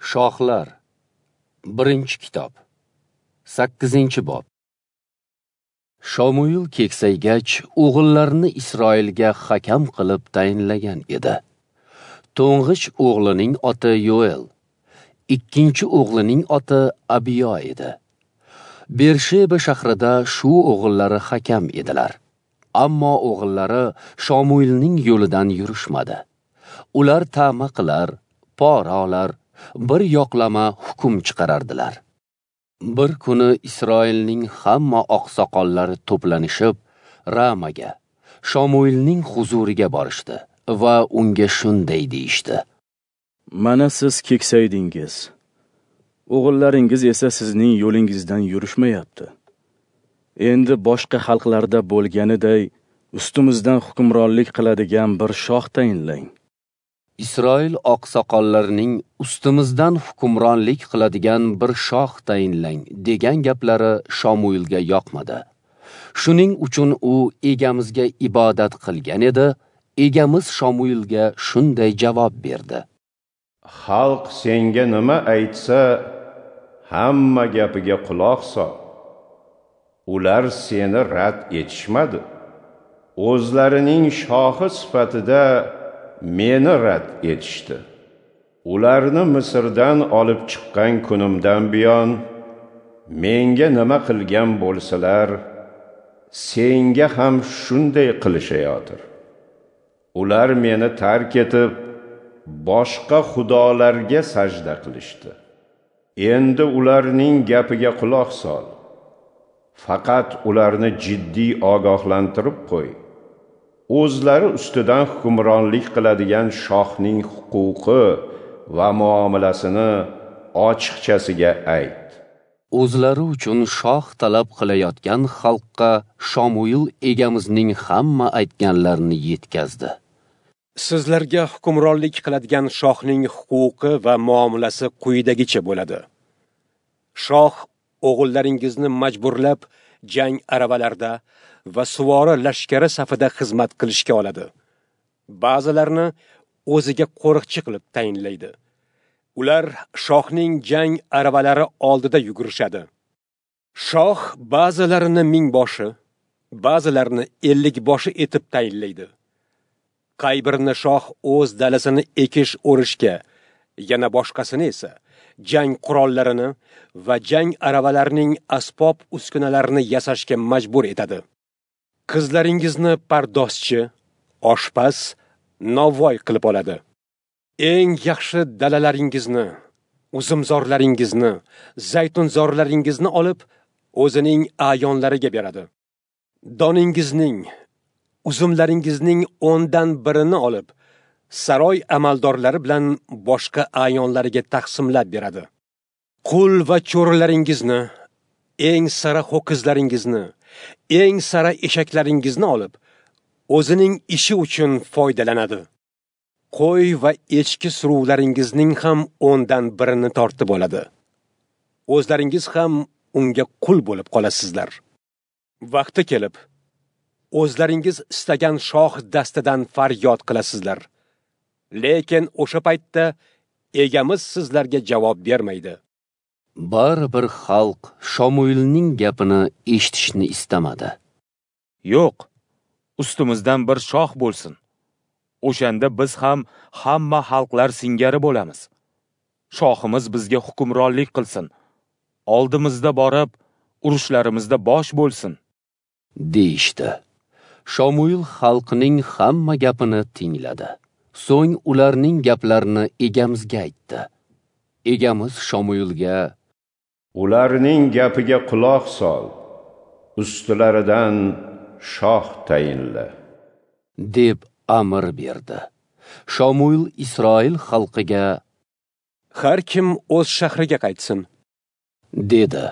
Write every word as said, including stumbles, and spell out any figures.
Shohlar, birinchi kitob, sakkizinchi bob. Shomuil keksaygach, o'g'illarini Isroilga hakam qilib tayinlagan edi. To'ng'ich o'g'lining oti Yoel, ikkinchi o'g'lining oti Abiyo edi. Bersheba shahrida shu o'g'illari hakam edilar. Ammo o'g'illari Shomuilning yo'lidan yurishmadi. Ular ta'ma qilar, pora olar, bir yoqlama hukm chiqarardilar. Bir kuni Isroilning hamma oqsoqollari to'planishib, Ramaga, Shomuilning huzuriga borishdi va unga shunday deyishdi: Mana siz keksaydingiz. O'g'illaringiz esa sizning yo'lingizdan yurishmayapti. Endi boshqa xalqlarda bo'lganiday ustimizdan hukmronlik qiladigan bir shoh tayinlang. Isroil oqsoqollarining ustimizdan hukmronlik qiladigan bir shoh tayinlang degan gaplari Shomuilga yoqmadi. Shuning uchun u egamizga ibodat qilgan edi. Egamiz Shomuilga shunday javob berdi: Xalq senga nima aytsa, hamma gapiga quloq sol. Ular seni rad etishmadi. O'zlarining shohi sifatida meni rad etishdi. Ularni Misrdan olib chiqqan kunimdan buyon menga nima qilgan bo'lsalar, senga ham shunday qilishayotir. Ular meni tark etib, boshqa xudolarga sajda qilishdi. Endi ularning gapiga quloq sol. Faqat ularni jiddiy ogohlantirib qo'y. O'zlari ustidan hukmronlik qiladigan shohning huquqi va muomalasini ochiqchasiga ayt. O'zlari uchun shoh talab qilayotgan xalqqa Shomuil egamizning hamma aytganlarini yetkazdi. Sizlarga hukmronlik qiladigan shohning huquqi va muomalasi quyidagicha bo'ladi. Shoh o'g'illaringizni majburlab jang aravalarda va suvori lashkari safida xizmat qilishga oladi. Ba'zilarini o'ziga qo'riqchi qilib tayinlaydi. Ular shohning jang aravalari oldida yugurishadi. Shoh ba'zilarini mingboshi, ba'zilarini ellikboshi etib tayinlaydi. Qay birini shoh o'z dalasini ekish o'rishga, yana boshqasini esa jang qurollarini va jang aravalarining asbob uskunalarini yasashga majbur etadi. Qizlaringizni pardozchi, oshpaz, novvoy qilib oladi. Eng yaxshi dalalaringizni, uzumzorlaringizni, zaytunzorlaringizni olib, o'zining a'yonlariga beradi. Doningizning, uzumlaringizning o'ndan birini olib, saroy amaldorlari bilan boshqa a'yonlariga taqsimlab beradi. Qul va cho'rilaringizni, eng sara ho'kizlaringizni, eng sara eshaklaringizni olib, o'zining ishi uchun foydalanadi. Qo'y va echki suruvlaringizning ham o'ndan birini tortib oladi. O'zlaringiz ham unga qul bo'lib qolasizlar. Vaqti kelib, o'zlaringiz istagan shoh dastidan faryod qilasizlar. Lekin o'sha paytda egamiz sizlarga javob bermaydi. Baribir xalq Shomuilning gapini eshitishni istamadi. Yo'q, ustimizdan bir shoh bo'lsin. O'shanda biz ham hamma xalqlar singari bo'lamiz. Shohimiz bizga hukmronlik qilsin. Oldimizda borib, urushlarimizda bosh bo'lsin, deyishdi. Shomuil xalqning hamma gapini tingladi. So'ng ularning gaplarini egamizga aytdi. Egamiz Shomuilga: Ularning gapiga quloq sol, ustilaridan shoh tayinla, deb amr berdi. Shomuil Isroil xalqiga: Har kim o'z shahriga qaytsin, dedi.